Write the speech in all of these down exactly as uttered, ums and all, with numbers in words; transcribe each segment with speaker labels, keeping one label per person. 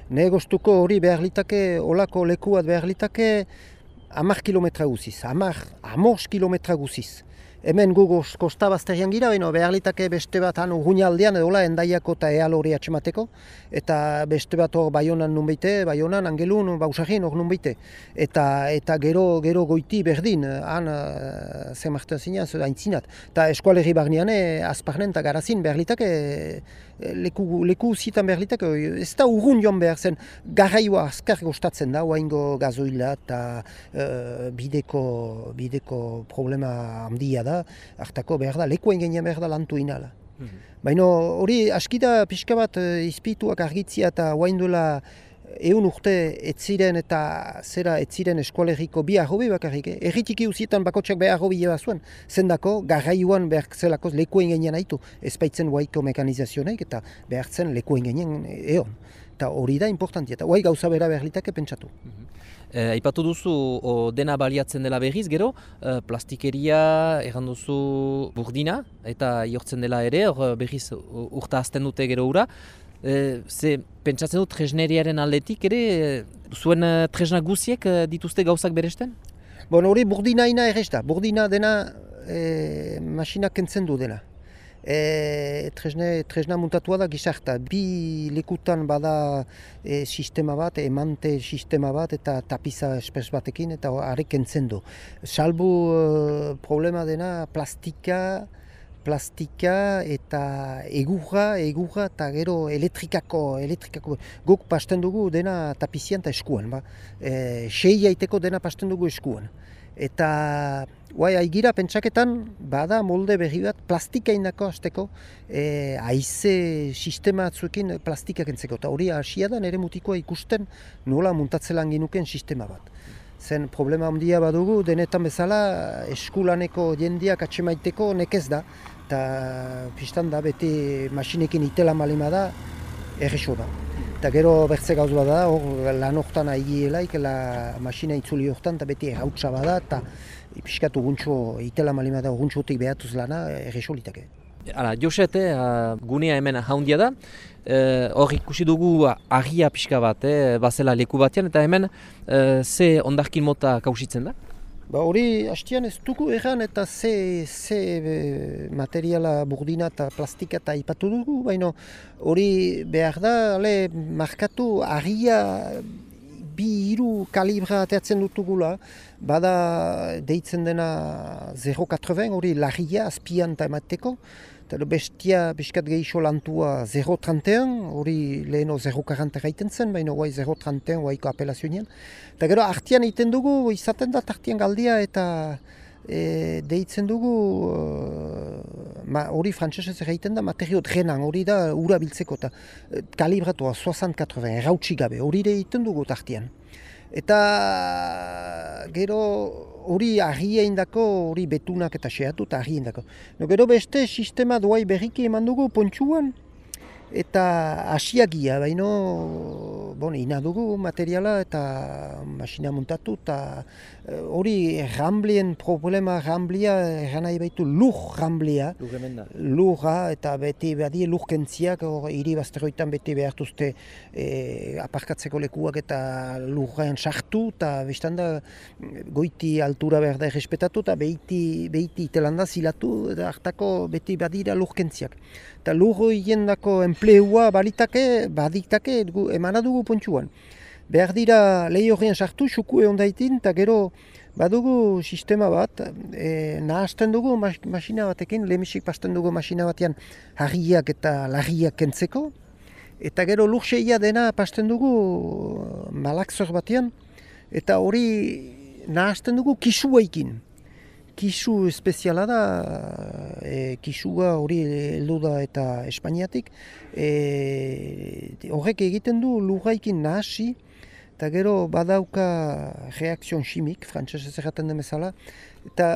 Speaker 1: Negostuko hori behar litake, olako leku bat behar litake, hamar kilometra guziz, hamar, hamar kilometra guziz. Hemen gu kostabazterian gira, baina behar litake beste bat han urruñaldean edola endaiako eta eal hori atxemateko, eta beste bat hor Baionan nun beite, Baionan, Angelun, Bausagin hor nun beite. Eta, eta gero, gero goiti berdin, han uh, zemartan zinaz, haintzinat. Eta eskualerri barnean, azparnen eta garazin behar litake, leku, leku zitan behar litake, ez da urrun joan behar zen, garraioa azkar gostatzen da, oaingo gazoila eta uh, bideko, bideko problema handia da, hartako behar da, lekuen gainean behar da lantu inala. Mm-hmm. Baina hori askida pixka bat uh, izpituak argitzia eta oainduela eun urte etziren eta zera etziren eskualerriko bi arrobi bakarrik. Eh? Erritiki uzietan bakotxak behar arrobi jeba zuen, zendako garraioan behar zelakoz lekuen gainean haitu, ezpaitzen waiko mekanizazionek eta behar zen lekuen gainean eon. Eta hori da importantia, eta guai gauza bera behar litake pentsatu.
Speaker 2: Mm-hmm. Eh, aipatu duzu o, dena baliatzen dela berriz, gero, eh, plastikeria, erran duzu burdina, eta jortzen dela ere, hor berriz urta azten dute gero ura. Eh, ze pentsatzen dut tresneriaren aldetik ere, zuen eh, tresna guziek eh, dituzte gauzak beresten?
Speaker 1: Bon, hori burdina ina errez da, burdina dena eh, masinak kentzen du dena. E, tresne, tresna muntatua da gizarta. Bi lekutan bada e, sistema bat, emante sistema bat eta tapiza espes batekin eta harek kentzen du. Salbu e, problema dena plastika, plastika eta egurra, egurra eta gero elektrikako, elektrikako. Guk pasten dugu dena tapizian eta eskuan. Ba. E, sei aiteko dena pasten dugu eskuan. Eta guai, aigira pentsaketan bada molde berri bat plastika indako azteko e, haize sistema atzuekin plastika kentzeko. Eta hori hasia da nire mutikoa ikusten nola muntatzelan ginuken sistema bat. Zen problema handia badugu, denetan bezala eskulaneko jendeak atxemaiteko nekez da. Eta pistan da beti masinekin itela malima da erreso da. Eta gero bertze gauz bada, hor lan hortan aigielaik, la masina itzuli hortan, eta beti errautsa bada, eta piskat uguntxo, itela malima da uguntxotik behatuz lana, erreso litake.
Speaker 2: Hala, Joset, eh, gunea hemen haundia da, hor eh, ikusi dugu argia pixka bat, eh, bazela leku batean, eta hemen eh, ze ondarkin mota kausitzen da?
Speaker 1: Ba hori hastian ez dugu erran eta ze, ze materiala burdina eta plastika eta ipatu dugu, baina hori behar da, ale, markatu argia bi hiru kalibra ateatzen dutugula, bada deitzen dena zero koma laurogeita hori larria azpian eta emateko, eta bestia biskat gehiago lantua zero koma treinta et un, hori leheno zero koma quaranta gaiten zen, baina guai zero koma treinta et un guaiko apelazionean. Eta gero artian egiten dugu, izaten da artian galdia eta e, deitzen dugu, hori uh, frantsesez egiten da materio drenan, hori da ura biltzeko eta kalibratua soixante quatre-vingts, errautsi gabe, hori egiten dugu artian. Eta gero hori argia indako, hori betunak eta xeatu eta argia indako. No, gero beste sistema duai berriki eman dugu pontxuan eta asiagia, baina bon, ina dugu materiala eta masina muntatu eta hori ramblien problema ramblia, eran nahi baitu lur ramblia, lurra eta beti badie lur kentziak, hiri bazteroitan beti behartuzte e, aparkatzeko lekuak eta lurrean sartu eta bestan da goiti altura behar da errespetatu eta behiti, behiti itelanda zilatu eta hartako beti badira lur kentziak. Eta lur hiendako enpleua balitake, baditake emana dugu pontxuan. Behar dira lehi horrean sartu, xuku egon daitin, eta gero badugu sistema bat, e, nahazten dugu mas, masina batekin, lehemisik pasten dugu masina batean harriak eta larriak kentzeko, eta gero lurseia dena pasten dugu malakzor batean, eta hori nahazten dugu kisuaikin. Kisu espeziala da, e, kisua hori heldu da eta Espainiatik, e, horrek egiten du lurraikin nahasi, eta gero badauka reakzion chimik, frantsesez erraten den bezala, eta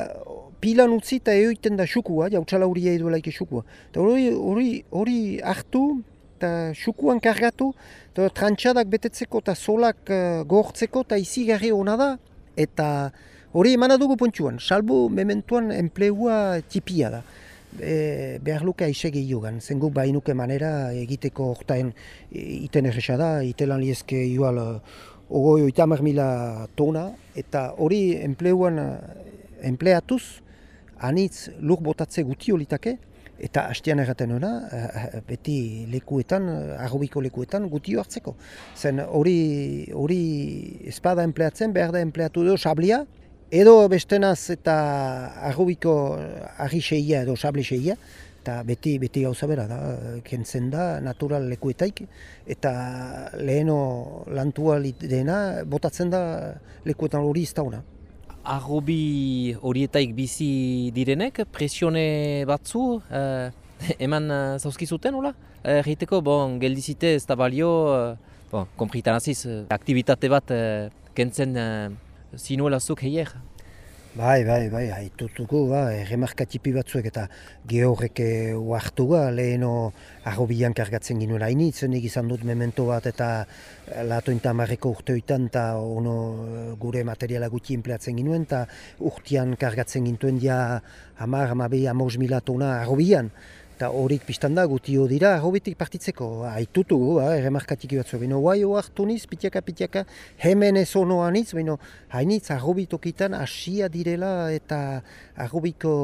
Speaker 1: pilan utzi eta eoiten da xukua, jautsala hori duelaik xukua. Eta hori, hori, hori hartu eta xukuan kargatu, eta trantxadak betetzeko eta solak uh, gortzeko eta izigarri hona da, eta hori emana dugu pontxuan, salbu mementuan enplegua tipia da. e, behar luke aixe gehiogan. Zen guk bainuke manera egiteko hortain iten erresa da, itelan liezke igual ogoi oitamar mila tona, eta hori enpleuan enpleatuz, anitz lur botatze guti olitake, eta hastian erraten hona, beti lekuetan, arrobiko lekuetan gutio hartzeko. Zen hori hori espada enpleatzen, behar da enpleatu edo sablia, edo bestenaz eta arrobiko arri seia edo sable seia, eta beti, beti gauza bera da, kentzen da natural lekuetaik, eta leheno lantua dena botatzen da lekuetan hori iztauna.
Speaker 2: Arrobi horietaik bizi direnek, presione batzu eh, eman uh, zauzkizuten, hola? Erriteko, bon, geldizite ez da balio, uh, bon, konpritan aziz, uh, aktivitate bat uh, kentzen uh, zinuelazuk heier.
Speaker 1: Bai, bai, bai, haitutuko, ba, remarkatipi batzuek eta gehorrek uartu ba, leheno arrobian kargatzen ginuen hainitzen, izan dut memento bat eta latointa marreko urteoitan eta ono gure materiala gutxi enpleatzen ginuen eta urtean kargatzen gintuen dia hamar, hamabi, hamabost mila tona arrobian. Eta horik pistan da gutio dira arrobitik partitzeko, haitutu, ba, remarkatiki batzu. Bino, guai oartu niz, pitiaka, pitiaka, hemen ez onoa niz, bino, hainitz arrobitokitan hasia direla eta arrobiko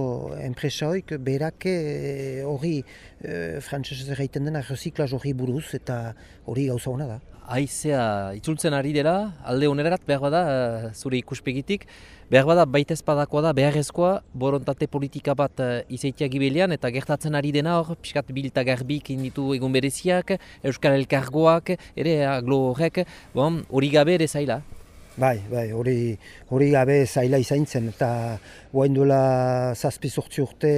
Speaker 1: enpresaoik berake hori e, frantzesez erraiten dena reziklaz hori buruz eta hori gauza hona da.
Speaker 2: Haizea itzultzen ari dela, alde onerat behar bada, uh, zure ikuspegitik, behar bada baita ezpadakoa da, beharrezkoa, borontate politika bat uh, izaitia gibelian, eta gertatzen ari dena hor, piskat bilta garbik inditu egun bereziak, Euskal Elkargoak, ere aglo horrek, bon, hori gabe ere zaila.
Speaker 1: Bai, bai, hori hori gabe zaila izaintzen, eta guain duela zazpi zortzi urte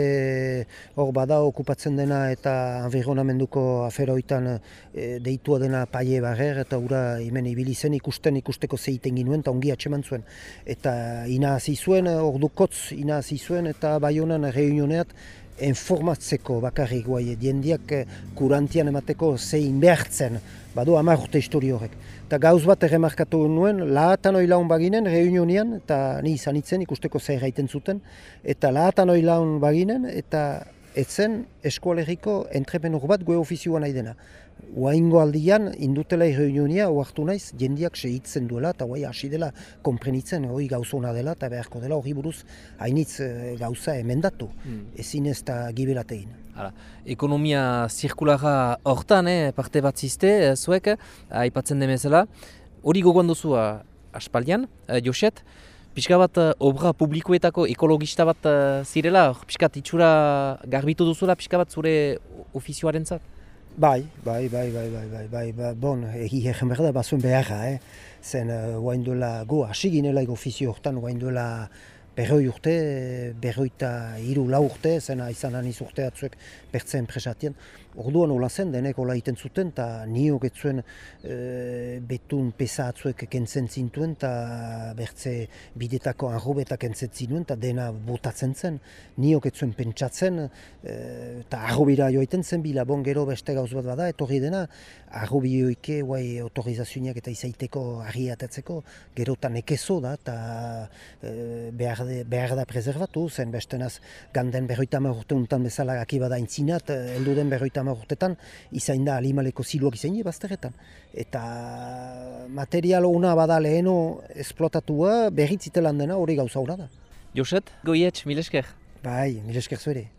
Speaker 1: hor bada okupatzen dena eta environamenduko aferoitan e, deitua dena paie barrer, eta ura hemen ibili zen ikusten ikusteko zeiten ginuen eta ongi atseman zuen. Eta ina hasi zuen, ordukotz ina hasi zuen eta Baionan reunioneat informatzeko bakarrik guai, diendiak kurantian emateko zein behartzen, badu hamar urte histori horrek. Eta gauz bat erremarkatu nuen, lahatan oilaun baginen, reunionian, eta ni izan itzen ikusteko zer gaiten zuten, eta lahatan oilaun baginen, eta etzen eskualeriko entrepenur bat goe ofizioa nahi dena. Oaingo aldian, indutela reunionia, oartu naiz, jendiak sehitzen duela, eta guai hasi dela konprenitzen, hori gauzona dela, eta beharko dela hori buruz hainitz gauza emendatu, mm. ezin ez da gibelatein.
Speaker 2: Hala, ekonomia zirkulara hortan, eh, parte bat ziste, eh, zuek, aipatzen demezela, hori gogoan duzu uh, aspaldian, uh, Joset, pixka bat uh, obra publikoetako ekologista bat uh, zirela, pixka itxura garbitu duzula, pixka bat zure ofizioaren zat?
Speaker 1: Bai, bai, bai, bai, bai, bai, bai, bai, bon, egi egen behar da, bazuen beharra, eh? Zen, guain uh, duela, go, hasi ginela ofizio hortan, guain duela berroi urte, berroita hiru lau urte, zena izan aniz urte atzuek bertze enpresatien. Orduan hola zen, denek hola iten zuten, eta nio getzuen e, betun pesa atzuek kentzen zintuen, eta bertze bidetako arrobetak kentzen zinuen, eta dena botatzen zen. Nio getzuen pentsatzen, eta e, arrobira joaiten zen bila, bon gero beste gauz bat bada, etorri dena, arrobioike guai autorizazioak eta izaiteko argi atatzeko, gerotan ekezo da, eta e, behar, de, behar da preservatu, zen bestenaz ganden berroita hamar urte untan bezala gaki bada intzinat, heldu den berroita hamar urtetan, izain da alimaleko ziluak izain bazterretan. Eta material ona bada leheno esplotatua, berritzitelan dena hori gauza hona da.
Speaker 2: Joset, goietx, mil esker.
Speaker 1: Bai, mil esker zuere.